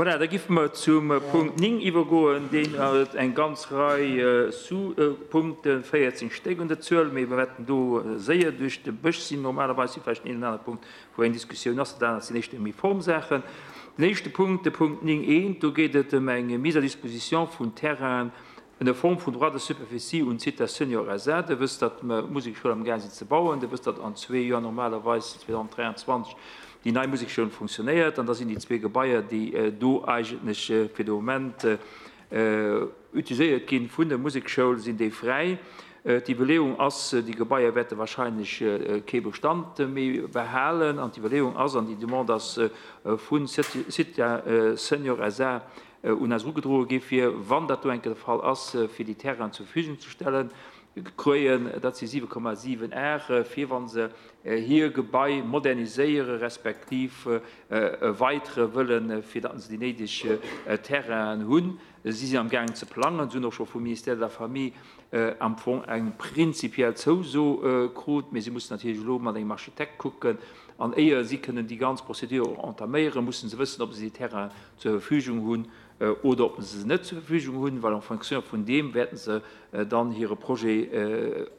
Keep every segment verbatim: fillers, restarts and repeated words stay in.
Voilà, da giffe mer zum Punkt néng iwwergoen, deen huet eng ganz Rei Sous-Punkten, véierzéng Stéck un der Zuel, mee mir wäerten do séier duerch de Bësch sinn. Normalerweis si vläicht een oder anere Punkt, wou eng Diskussioun ass, dat anert sinn éischter méi Formsaachen. Den éischte Punkt, de Punkt néng eent, do geet et ëm eng Mise à disposition vun Terrainen ënner Form vun Droit de superficie un d'Zitha Senior S A. Dir wësst, datt mer d'Musekschoul am gaang sinn ze bauen. Dir wësst, datt an zwee Joer, normalerweis zweedausenddräianzwanzeg, déi nei Musekschoul funktionéiert. An da sinn déi zwee Gebaier, déi do eigentlech fir de Moment utiliséiert ginn vun der Musekschoul, sinn déi fräi. D'Iwwerleeung ass, déi Gebaier wäerte wahrscheinlech kee Bestand méi behalen. An d'Iwwerleeung ass, an déi Demande ass vun Zitha Senior S A un eis ugedroe gi fir, wann dat do enke de Fall ass, fir déi Terrain zur Verfügung ze stellen, kréien, dat si siwe Komma siwen Ar, fir wann se hir Gebai moderniséiere respektiv erweitere wëllen, fir datt se déi néideg Terrainen hunn. Si sinn am Gang ze plangen, si hunn och scho vum Ministère de la Famille am Fong eng prinzipiell Zouso krut, mee si mussen natierlech elo mat engem Architekt kucken. An éier si kënnen déi ganz Prozedur och entaméieren, mussen se wëssen, ob se déi Terrain zur Verfügung hunn oder ob se se net zur Verfügung hunn, well en fonction vun deem wäerten se dann hire Projet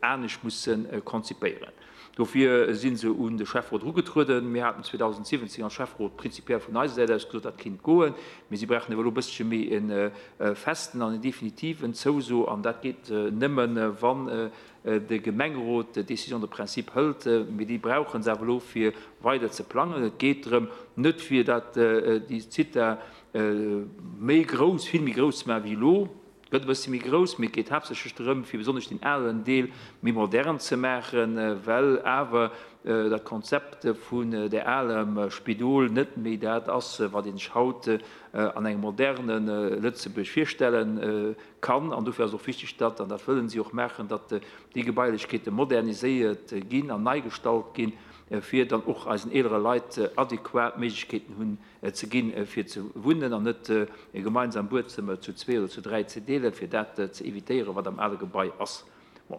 anescht mussen konzipéieren. Dofir sinn se un de Schäfferot ugetrueden. Mir haten zweedausendsiwwenzéng als Schäfferot prinzipiell vun eiser Säit aus gesot, dat kinnt goen, mee si brauchen awer elo e bëssche méi en festen an en definitiven Zouso, an dat geet nëmmen, wann de Gemengerot d'Décision de principe hëlt, mee déi brauchen se awer elo fir weider ze plangen. Et geet drëm, net fir dat déi Zitha méi grouss, vill méi grouss ze maachen wéi elo, gëtt e bësse méi grouss, mee et geet haaptsächlech drëm, fir besonnesch den alen Deel méi modern ze maachen, well awer dat Konzept vun der alem Spidol net méi dat ass, wat een sech haut an engem moderne Lëtzebuerg virstellen kann. An dofir ass och wichteg, datt, an dat wëllen si och maachen, datt déi Gebailechkeete moderniséiert ginn an nei gestallt ginn, fir dann och eisen eelere Leit adäquat Méiglechkeeten hunn ze ginn, fir ze wunnen an net e gemeinsam Buedzëmmer zu zwee oder zu dräi ze deelen, fir dat ze evitéieren, wat am ale Gebai ass. Bon.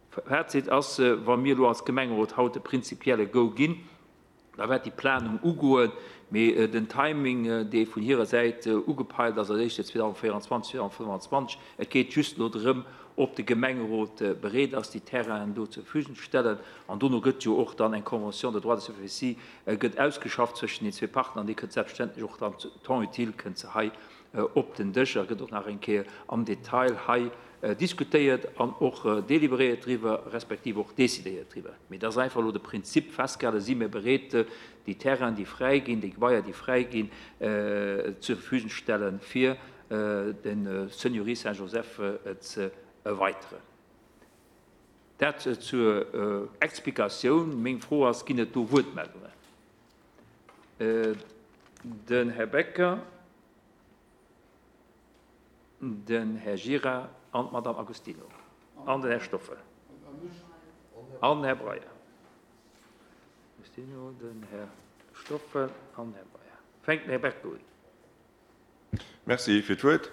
Fazit ass, wa mir elo als Gemengerot haut de prinzipielle Go ginn, da wäert déi Planung ugoen, mee den Timing, dee vun hirer Säit ugepeilt ass, als éischte zweedausendvéieranzwanzeg, zweedausendfënnefanzwanzeg, et geet just elo drëm, ob de Gemengerot bereet ass, déi Terrainen do zur Verfügung ze stellen. An dono gëtt jo och dann eng Convention de droit de superficie gëtt ausgeschafft zwëschen den zwee Partner, an déi kënnt selbstverständlech och dann temps utile kënnt se hei op den Dësch a gëtt och nach eng Kéier am Detail hei diskutéiert an och délibéréiert driwwer, respektiv och décidéiert driwwer. Mee das ass einfach elo de Prinzip festgehalen, si mir bereet, déi Terrainen, déi fräi ginn, déi Gebaier, déi fräi ginn, zur Verfügung stellen, fir den Seniorie Saint-Joseph ze erweiteren. Dat zur Explikatioun. Meng Fro ass, ginn et do Wuertmeldungen? Den Herr Becker, den Herr Gira an d'Madame Agostino an den Herr Stoffel an den Herr Breyer. Agostino, den Herr Stoffel an Herr Breyer. Fänkt den Herr Becker un. Merci fir d'Wuert.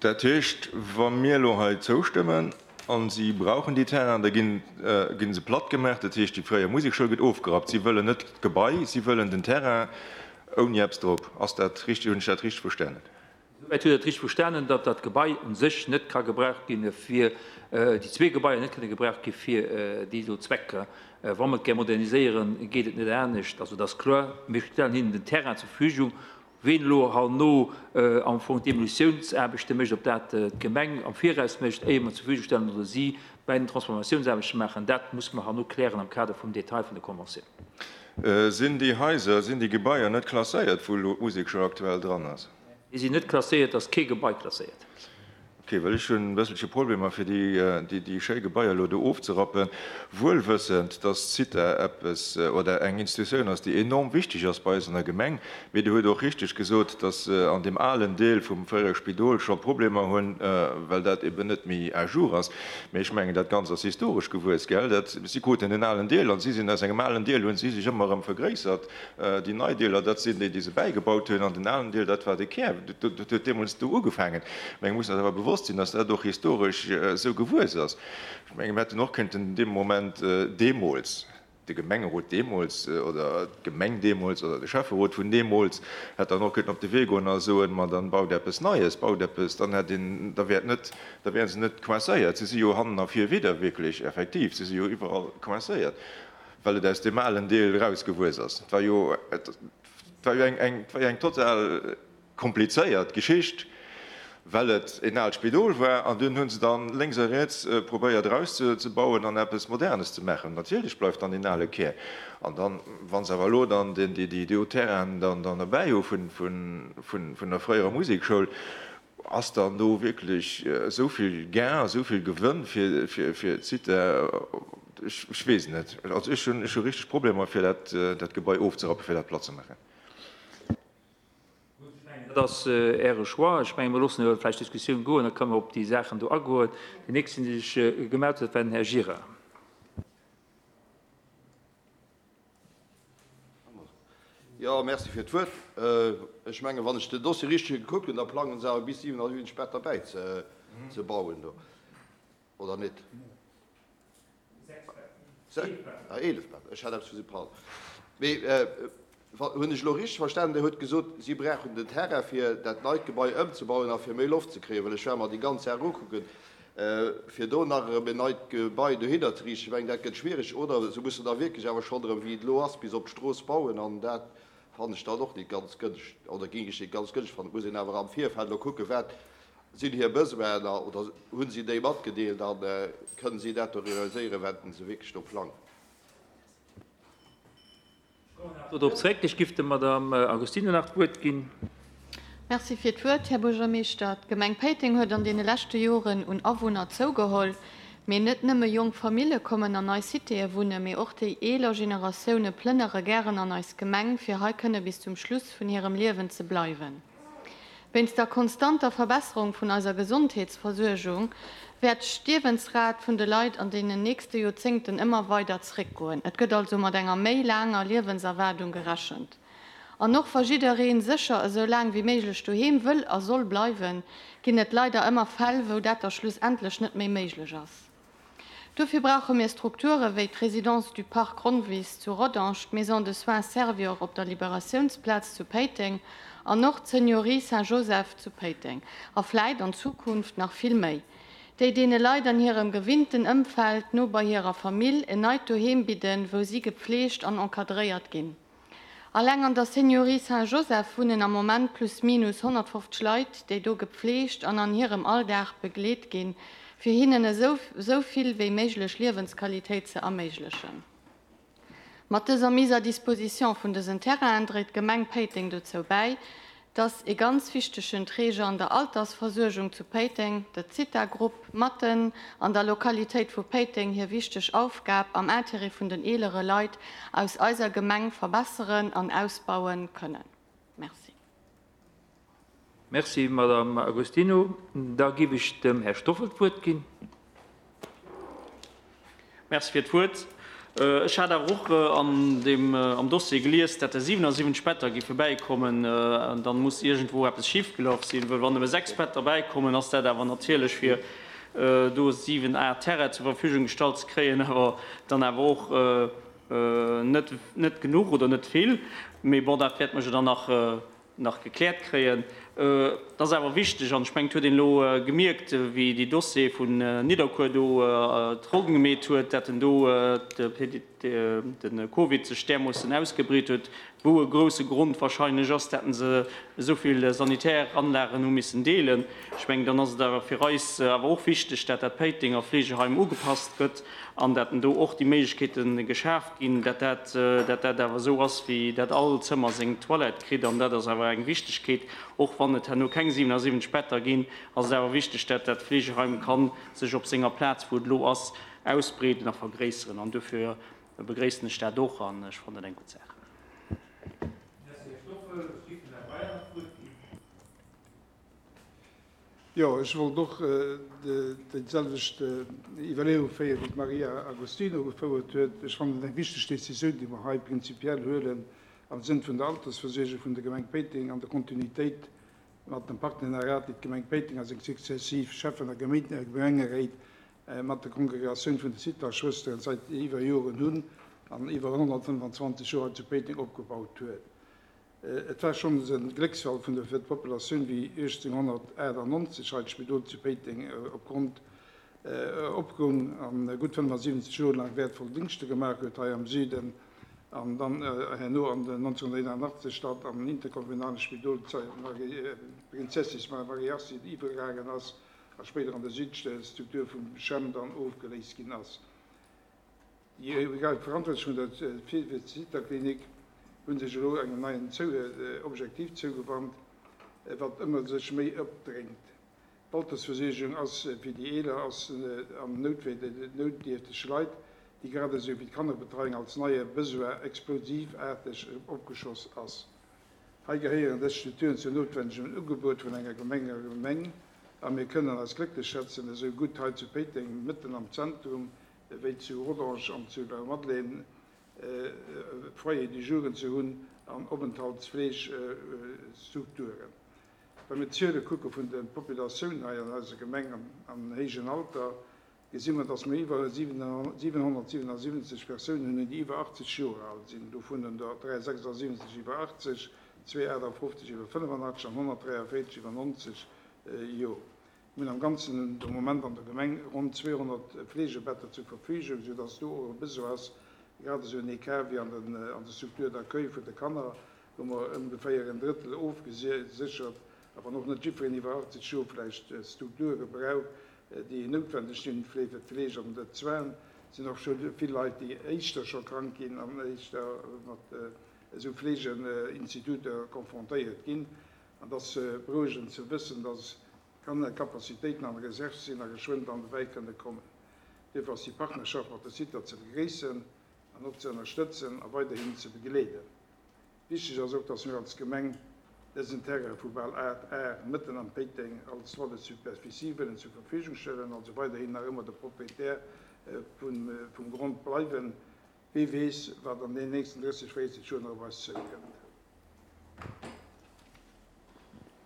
Dat heescht, wa mir elo hei zoustëmmen an si brauchen déi Terrain, da ginn, äh, ginn se platt gemaach. Dat heescht, déi fréier Musekschoul gëtt ofgerappt. Si wëllen net d'Gebai, si wëllen den Terrain ouni eppes drop. Ass dat richtig? Hunn ech dat richtig verstanen? Soweit huet dat richtig verstanen, datt dat Gebai un sech net ka gebraucht ginn fir, äh, déi zwee Gebaier net kënne gebraucht gi fir, äh, déi so Zwecker. Äh, wa mer et gär moderniséieren, geet et net anescht. Also das ist klar, wir stellen hinnen den Terrain zur Verfügung. Wen elo herno, äh, am Fong d'Demolitiounsaarbechte mécht, ob dat, äh, d'Gemeng am Viraus mécht, éier mer zur Verfügung stellen oder si bei den Transformatiounsaarbechte machen, dat muss man herno klären am Kader vum Detail vun der Konventioun. Äh, sinn déi Häiser, sinn déi Gebaier net klasséiert, wou elo d'Musekschoul aktuell dran ass? Déi sinn net klasséiert, ass kee Gebai klasséiert. Okay, well ech hunn e bësselche Problemer fir déi, äh, déi, déi schéi Gebaier elo do ofzerappen, wuelwëssend, dass d'Zitha eppes, äh, oder eng Institutioun ass, déi enorm wichteg ass bei eis an der Gemeng. Mee du huet och richtig gesot, dass, äh, an dem alen Deel vum fréiere Spidol scho Problemer hunn, äh, well dat eben net méi à jour ass. Mee ech mengen, dat Ganze ass historesch gewuess, gell? Dat, si kruten den alen Deel an si sinn aus engem alen Deel, hunn si sech ëmmer erëm vergréissert. Äh, déi nei Deeler, dat sinn déi, déi se bäigebaut hunn, an den alen Deel, dat war de Kär. Dat, dat, dat huet deemools do ugefaangen. Mee ech muss awer bewosst sinn, dass dat och historesch, äh, sou gewuess ass. Ech menge, mir hätten och kënnten in dem Moment, äh, deemools, de Gemengerot deemools oder d'Gemeng deemools oder de Schäfferot vun deemools hätt dann och kënnen op de Wee goen a soen, ma dann baut eppes Neies, baut eppes, dann hätt een, da wär et net, da wären se net coincéiert. Se si jo hannen a vir widder wierklech effektiv, se si jo iwwerall coincéiert, well et aus deem alen Deel erausgewuess ass. Et war jo, et war jo eng, eng, et war jo eng total komplizéiert Geschicht, well et en aalt Spidol war an dunn hu se dann lénks a riets probéiert erauszebauen an eppes Modernes ze maachen. Natierlech bleift dann deen ale Kär. An dann, wa se awer elo dann déi do Terrainen dann derbäi hu vun der fréierer Musekschoul, ass dann do wierklech esou vill Gain, esou vill Gewënn fir d'Zitha? Ech weess et net. Also ech hu richteg Problemer fir dat Gebai ofzerappen, fir dat platt ze maachen. Dat ass Äre Choix. Ech mengen, mir loossen elo vläicht d'Diskussioun goen, da kënnen mer op déi Saachen do agoen. Deen nächsten, dee sech gemellt huet, war den Här Gira. Jo, merci fir d'Wuert. Ech mengen, wann ech den Dossier richteg gekuckt hunn, da plangen se awer bis siwenasiwwenzeg Better bäizebauen do, oder net? Ah, eelef Better. Ech hat eppes vu si, pardon. Mee hunn ech elo richteg verstanen, Dir hutt gesot, si brauchen den Terrain, fir dat neit Gebai ëmzebauen a fir méi Loft ze kréien, well ech war mer déi ganz Saach ukucken, fir do nach erëm en neit Gebai dohinner ze riichten. Ech mengen, dat gëtt schwierig. Oder se mussen da wierklech awer schonn erëm, wéi et elo ass, bis op d'Strooss bauen an dat fannen ech dann och net ganz gënscht, oder géing ech net ganz gënscht fannen. Et muss een awer am Virfeld elo kucken, wat sinn hir Besoinen oder hu si déi matgedeelt a kënnen si dat do realiséieren, wat se wierklech do plangen. Dorop zréck. Ech giff der Madame Agostino nach d'Wuert ginn. Merci fir d'Wuert, Här Buergermeeschter. D'Gemeng Péiteng huet an deene leschte Joren un Awunner zougeholl. Mee net nëmme jonk Famille kommen an eis Citéë wunnen, mee och déi eeler Generatioune plënnere gären an eis Gemeng, fir hei kënne bis zum Schluss vun hirem Liewen ze bleiwen. Wéinst der konstanter Verbesserung vun eiser Gesondheetsversuergung wäert d'Stierwensrat vun de Leit an deenen nächste Joerzéngten ëmmer weider zeréckgoen. Et gëtt also mat enger méi laanger Liewenserwaardung gerechent. An och wa jidderee sécher esou laang wéi méiglech doheem wëll a soll bleiwen, ginn et leider ëmmer Fäll, wou dat da schlussendlech net méi méiglech ass. Dofir brauche mir Strukture wéi d'Résidence du Parc Ronnwiss zu Rodange, d'Maison de soins Servior op der Liberatiounsplaz zu Péiteng an och d'Seniorie Saint-Joseph zu Péiteng, a vläit an Zukunft nach vill méi, déi deene Leit an hirem gewinnten Ëmfeld, no bei hirer Famill, en neit Doheem bidden, wou si gepfleegt an encadréiert ginn. Alleng an der Seniorie Saint-Joseph wunnen am Moment plus minus honnertfofzeg Leit, déi do gepfleegt an an hirem Alldag begleet ginn, fir hinnen esou esou vill wéi méiglech Liewensqualitéit ze erméiglechen. Mat dëser Mise à disposition vun dësen Terrainen dréit d'Gemeng Péiteng dozou bäi, dass e ganz wichtegen Träger an der Altersversuergung zu Péiteng, de Zitha-Grupp, matten an der Lokalitéit vu Péiteng hir wichteg Aufgab am Intérêt vun den eelere Leit aus eiser Gemeng verbesseren an ausbauen kënnen. Merci. Merci, Madame Agostino. Da giff ech dem Här Stoffel d'Wuert ginn. Merci fir d'Wuert. Ech hat awer och an deem, am Dossier gelies, dat der siwenasiwwenzeg Better géife bäikommen. Dann muss iergendwou eppes schifgelaf sinn, well wann nëmme sechs Better bäikommen, ass dat awer natierlech fir do siwen Ar Terrain zur Verfügung gestallt ze kréien, awer dann awer och net, net genuch oder net vill. Mee bon, dat wäerte mer jo dann nach nach gekläert kréien. Et ass awer wichteg, an ech mengen, et huet een elo gemierkt, wéi dee Dossier vun Nidderkuer do d'Ronn gemeet huet, dat en do de Covid sech därmoossen ausgebreet huet, wou e grouse Grond wahrscheinlech ass, dat se esou vill sanitär Anlagen hu missen deelen. Ech mengen, dann ass et awer fir eis awer och wichteg, dat dat Péitenger Fleegeheim ugepasst gëtt an dat do och déi Méiglechkeete geschaf ginn, dat dat, dat dat awer esou ass, wéi dat all Zëmmer seng Toilette kritt. An dat ass awer eng Wichtegkeet, och wann et herno keng siwenasiwwenzeg Better ginn, ass et awer wichteg, dat dat Fleegeheim kann sech op senger Plaz, wou et elo ass, ausbreeden a vergréisseren. An dofir begréissen ech dat och an ech fannen et eng gutt Saach. Jo, ech wollt och déi selwecht Iwwerleeung féieren, wéi d'Maria Agostino gefouert huet. Ech fannen et eng wichteg Décisioun, déi mer hei prinzipiell huelen am Sënn vun der Altersversuergung vun der Gemeng Péiteng an der Kontinuitéit mat dem Partenariat, déi d'Gemeng Péiteng a seng successiv Schäffen a Gemengeréit mat der Kongregatioun vun de Zitha-Schwësteren säit iwwer Joren hunn. an iwwer hundertfënnefanzwanzeg Joer zu Péiteng opgebaut huet. Et war schonn e Glécksfall vun der fir d'Populatioun, wéi uechtzénghunnertachtannonzeg hei d'Spidol zu Péiteng opgrond opgoung an gutt fënnefasiwwenzeg Joer laang wäertvoll Dingschte gemaach huet hei am Süden an dann herno an den neunzehnhunderteinundachtzeg dat am interkommunale Spidol Prinzessis Marie-Astrid iwwergaangen ass a spéider an der Südstruktur vum CHEM dann ofgeléist ginn ass. Déi Verantwortlech vun der Zitha-Klinik hunn sech elo engem neien Objektiv zougewannt, wat ëmmer sech méi opdréngt. D'Altersversuergung ass fir déi eeler ass an noutdierfteg Leit, déi grad esou wéi d'Kannerbetreiung als neie Besoin explosivaarteg opgeschoss ass. Hei gehéieren dës Strukturen zum notwendegen Ugebot vun enger Gemeng a Gemeng a mir kënnen eis glécklech schätzen, esou gutt hei zu Péiteng mëtten am Zentrum wéi zu Rodange an zu der Madeleine Foyer du Jouren ze hunn an Openthaltsfleegstrukturen. Wa mir d'Zuele kucke vun der Populatioun hei an eiser Gemeng am héijen Alter, gesi mer, datt mir iwwer siwenhonnertsiewenundsiwwenzeg Persounen hunn, déi iwwer achtzeg Joer al sinn, dovun der dreihundertsechsundsiwwenzeg iwwer achtzeg, zweihundertachtundfünfzeg iwwer fënnefundachtzeg an honnertdräiundvéierzeg iwwer neunzeg Joer. Mir hunn am Ganzen de Moment an der Gemeng ronn zweihundert Fleegebetter zur Verfügung, sodass do och e Besoin ass, grad esou en Écart wéi an der Struktur d'accueil vun de Kanner, wou mer ongeféier en Drëttel ofgesichert, a wann och net jiddwereen iwwer achtzeg Joer vläicht Strukture brauch, déi noutwendeg sinn fir d'Fleeg an de Soins, sinn och scho vill Leit, déi éischter scho krank ginn an éischter mat esou Fleegeinstituter konfrontéiert ginn. An dat ass berouegend ze wëssen, dass Kapazitéiten an der Reserve sinn a geschwënd an de Wäi kënne kommen. Duerfir ass déi Partnerschaft mat der Zitha ze begréissen an och ze ënnerstëtzen a weiderhin ze begleeden. Wichteg ass och, dass mir als Gemeng dësen Terrain vu bal acht Ar mëtten am Péiteng als droit de superficie wëllen zur Verfügung stellen, also weiderhin nach ëmmer de Proprietär vum, vum Grond bleiwen. Wie weess, wat an den nächsten drësseg, véierzeg Joer nach op eis zoukënnt.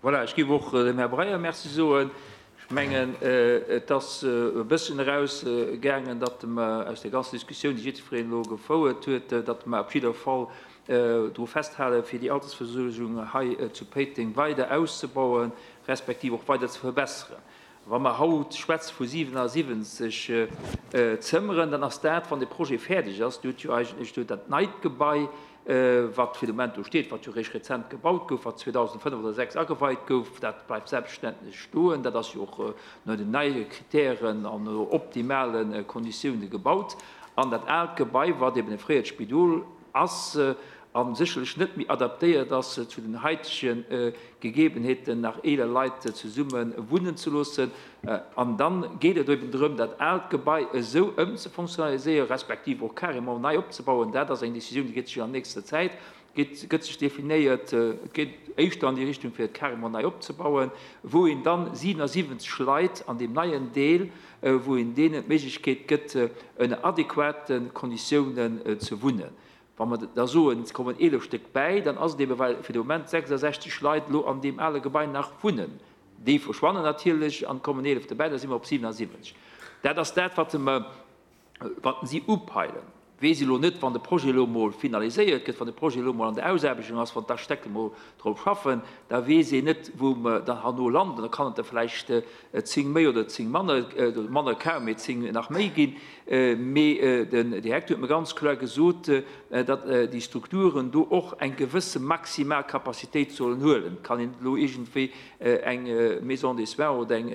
Voilà, ech gebe och dem Herr Breyer Merci soen. Ech mengen, et ass e bëssen erausgaangen, datt mer aus der ganzen Diskussioun, déi jiddwereen elo gefouert huet, datt mer op jidder Fall dru festhalen, fir déi Altersversuergung hei zu Péiteng weider auszubauen, respektiv och weider ze verbessern. Wa mer haut schwätze vu siewenundsiwwenzeg Zëmmeren, dann ass dat, wann de Projet fäerdeg ass, du huet jo eigentlech do dat neit Gebai, wat fir de Moment do steet, wat jo réischt rezent gebaut gouf, wat zweitausendfënnef oder sechs ageweit gouf, dat bleift selbstverständlech stoen. Dat ass jo och no den neie Kriterien an no optimalen Konditiounen gebaut. An dat aalt Gebai, wat eben e fréiert Spidol ass, an sicherlech net méi adaptéiert ass zu den heitegen Gegebenheeten, nach eeler Leit zesummen wunnen ze loossen. An dann geet et eben drëm, dat aalt Gebai esou ëmzefunktionaliséieren, respektiv och carrément nei opzebauen. Dat ass eng Decisioun, déi gëtt sech an nächster Zäit, gëtt, gëtt sech definéiert, et geet éischter an déi Richtung, fir et carrément nei opzebauen, wou een dann siewenundsiwwenzeg Leit an dem neien Deel, wou een deenen d'Méiglechkeet gëtt, ënner adäquaten Konditiounen ze wunnen. Wa mer da soen, es kommen elf Stück bäi, dann ass et eben, well fir de Moment sechsundsechzeg Leit lo an dem ale Gebai nach wunnen. Déi verschwannen natierlech an kommen elf dobäi, da si mer op siewenundsiwwenzeg. Dat ass dat, wat mer, wat si upeilen. Weess elo net, wann de Projet elo mol finaliséiert gëtt, wann de Projet elo mol an der Ausaarbechtung ass, wann d'Architekte mol drop schaffen, da weess een net, wou mer dann herno landen. Da kann et da vläicht zéng méi oder zéng manner, manner kaum, mee zéng nach méi ginn. Mee den Direktor huet mir ganz kloer gesot, datt déi Strukturen do och eng gewësse maximal Kapazitéit sollen huelen. Kann een elo iergendwéi eng Maison des Soins oder eng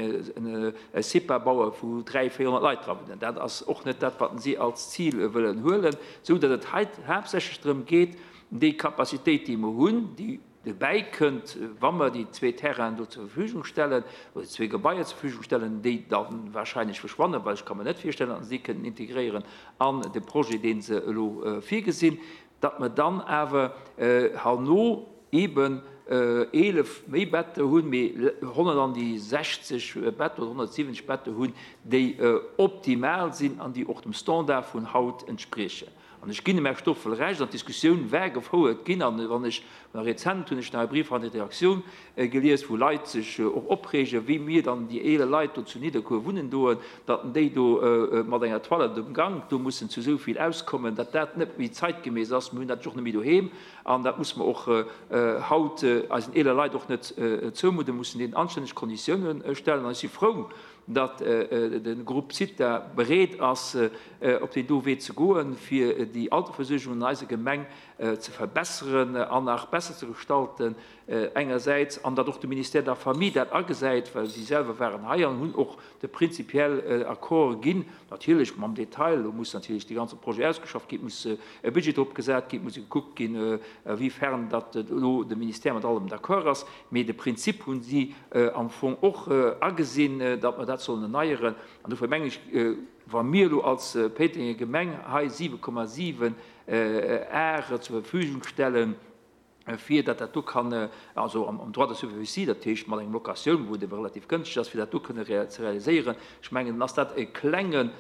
CEPA bauen, wou dräi, véierhonnert Leit dra wunnen. Dat ass och net dat, wat si als Ziel wëllen huelen, sou datt et hei haaptsächlech drëm geet, déi Kapazitéit, déi mer hunn, déi dobäi kënnt, wa mer déi zwee Terrainen do zur Verfügung stellen, oder déi zwee Gebaier zur Verfügung stellen, déi dann wahrscheinlech verschwannen, well ech kann mir net virstellen, datt se kënnen integréieren an de Projet, deen se elo virgesinn, datt mer dann awer herno eben elf méi Better hunn, mee honnertsechzeg Better oder honnertsiwwenzeg Better hunn, déi optimal sinn an déi och dem Standard vun haut entsprechen. An ech ginn dem Här Stoffel Recht, an d'Diskussioun war gefouert ginn, an wann ech nach rezent hunn ech nach e Brief an der Redaktioun gelies, wou Leit sech och opreegen, wéi mir dann déi eeler Leit do zu Nidderkuer wunnen doen, datt déi do mat enger Toilette um Gank do mussen zu esou vill auskommen, datt dat net méi zeitgemäss ass. Mir hunn dat jo och net méi doheem an dat muss mer och haut eisen eeler Leit och net zoumudden, mussen deenen anstänneg Konditiounen stellen. An ech si frou, datt de Groupe Zitha bereet ass, op deen do Wee ze goen, fir déi Altersversuergung an eiser Gemeng ze verbesseren an nach besser ze gestalten engersäits, an datt och de Ministère de la Famille dat agesäit, well si selwer waren hei an hunn och de prinzipiell Accord ginn, natierlech mam Detail, do muss natierlech de ganze Projet ausgeschafft ginn, et muss e Budget drop gesat ginn, et muss gekuckt ginn, awéifern datt elo de Ministère mat allem d'accord ass, mee de Prinzip hunn si am Fong och agesinn, datt mer dat sollen erneieren. An dofir mengen ech, wa mir elo als Péitenger Gemeng hei siwe Komma siwen Ar zur Verfügung stellen, fir datt dat do kann, also am Droit de superficie, dat heescht mat engem Locatioun, wou et ebe relativ gënschteg ass, fir dat do kënne ze realiséieren, ech mengen, dann ass dat e klengen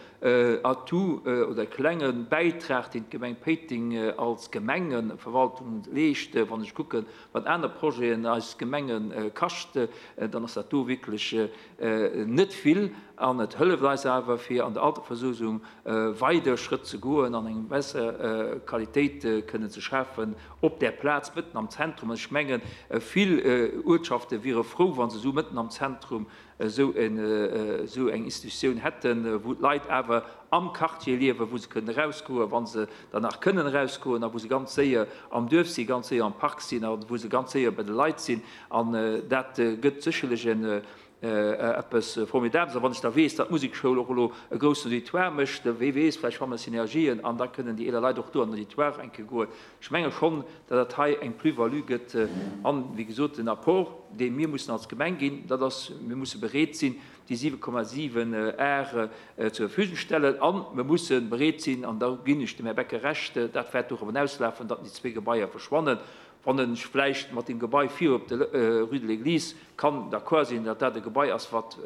Atout oder e klenge Bäitrag, deen d'Gemeng Péiteng als Gemengeverwaltung leescht. Wann ech kucken, wat aner Projeten eis Gemenge kascht, dann ass dat do wierklech net vill. An et hëlleft eis awer, fir an der Altersversuergung weider Schrëtt ze goen an eng besser Qualitéit kënnen ze schafen op där Plaz mëtten am Zentrum. An ech mengen, vill Uertschafte wiere frou, wa se esou mëtten am Zentrum esou eng Institutioun hätten, wou d'Leit awer am Quartier liewen, wou se kënnen erausgoen, wa se dann nach kënnen erausgoen, a wou se ganz séier am Duerf sinn, ganz séier am Park sinn a wou se ganz séier bei de Leit sinn. An dat gëtt sécherlech en eppes Formidables. A wann ech da weess, datt d'Musekschoul och elo e groussen Auditoire mécht, wee weess, vläicht fanne mer Synergien an da kënnen déi eeler Leit och do an den Auditoire eng Kéier goen. Ech menge schonn, datt dat hei eng Plus-value gëtt. An, wéi gesot, den Apport, dee mir mussen als Gemeng ginn, dat ass, mir musse bereet sinn, déi siwe Komma siwen Ar zur Verfügung stellen. A mir musse bereet sinn, an da ginn ech dem Här Becker Recht, dat wäert dorop hinauslafen, datt déi zwee Gebaier verschwannen. Wann ech vläicht mat dem Gebai vir op der Rue de l'Église kann d'accord sinn, datt dat e Gebai ass, wat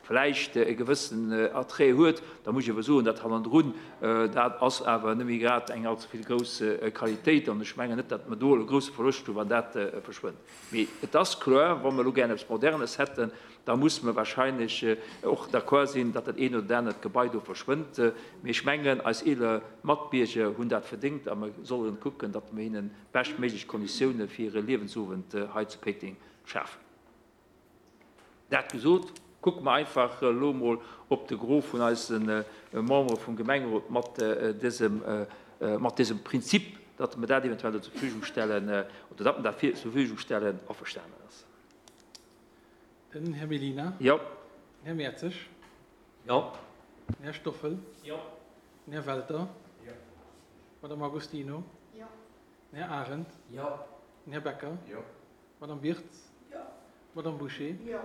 vläicht e gewëssen Attrait huet, da muss ech awer soen, dat hannendrun, dat ass awer net méi grad eng allze vill grouss Qualitéit. An ech mengen net, datt mer do e grousse Verloscht hunn, wann dat verschwënnt. Mee et ass kloer, wa mer elo gär eppes Modernes hätten, da muss mer wahrscheinlech och d'accord sinn, datt dat een oder anert Gebai do verschwënnt. Mee ech mengen, eis eeler Matbierger hunn dat verdéngt a mer sollen kucken, datt mer hinnen beschtméiglech Konditioune fir hire Liewensowend hei zu Péiteng schafen. Dat gesot, kucke mer einfach elo mol op de Gros vun eise Membere vum Gemengerot mat dësem, mat dësem Prinzip, datt mer dat eventuell zur Verfügung stellen, oder datt mer dat zur Verfügung stellen, averstanen ass. Den Här Mellina. Jo. Den Här Mertzig. Jo. Den Här Stoffel. Jo. Den Här Welter. Jo. Madame Agostino. Jo. Den Här Arendt. Jo. Den Här Becker. Jo. Madame Wirtz. Jo. Madame Boucher. Jo.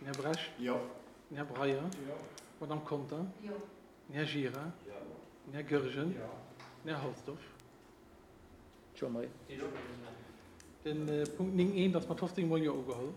Den Här Brecht. Jo. Den Här Breyer. Jo. Madame Conter. Jo. Den Här Gira. Jo. Den Här Goergen. Jo. Den Här Halsdorf. Jean-Marie. Den Punkt néng eent ass mat fofzéng Mol Jo ugeholl.